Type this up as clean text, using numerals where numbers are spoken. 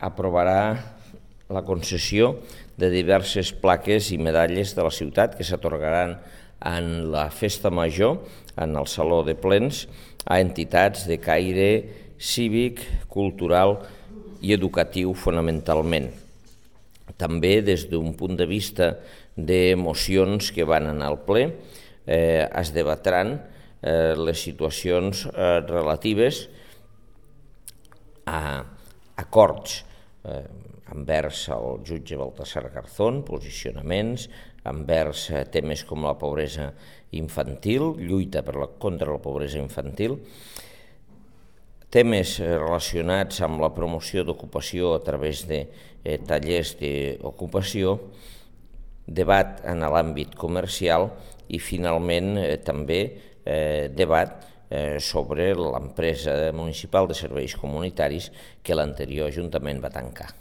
aprovarà la concessió de diverses plaques i medalles de la ciutat que s'atorgaran en la festa major, en el Saló de Plens, a entitats de caire cívic, cultural i educatiu fonamentalment. També des d'un punt de vista de mocions que van anar al ple, es debatran les situacions relatives a acords envers el jutge Baltasar Garzón, posicionaments, envers temes com la pobresa infantil, lluita contra la pobresa infantil, temes relacionats amb la promoció d'ocupació a través de tallers d'ocupació, debat en l'àmbit comercial i finalment també debat sobre l'empresa municipal de serveis comunitaris que l'anterior ajuntament va tancar.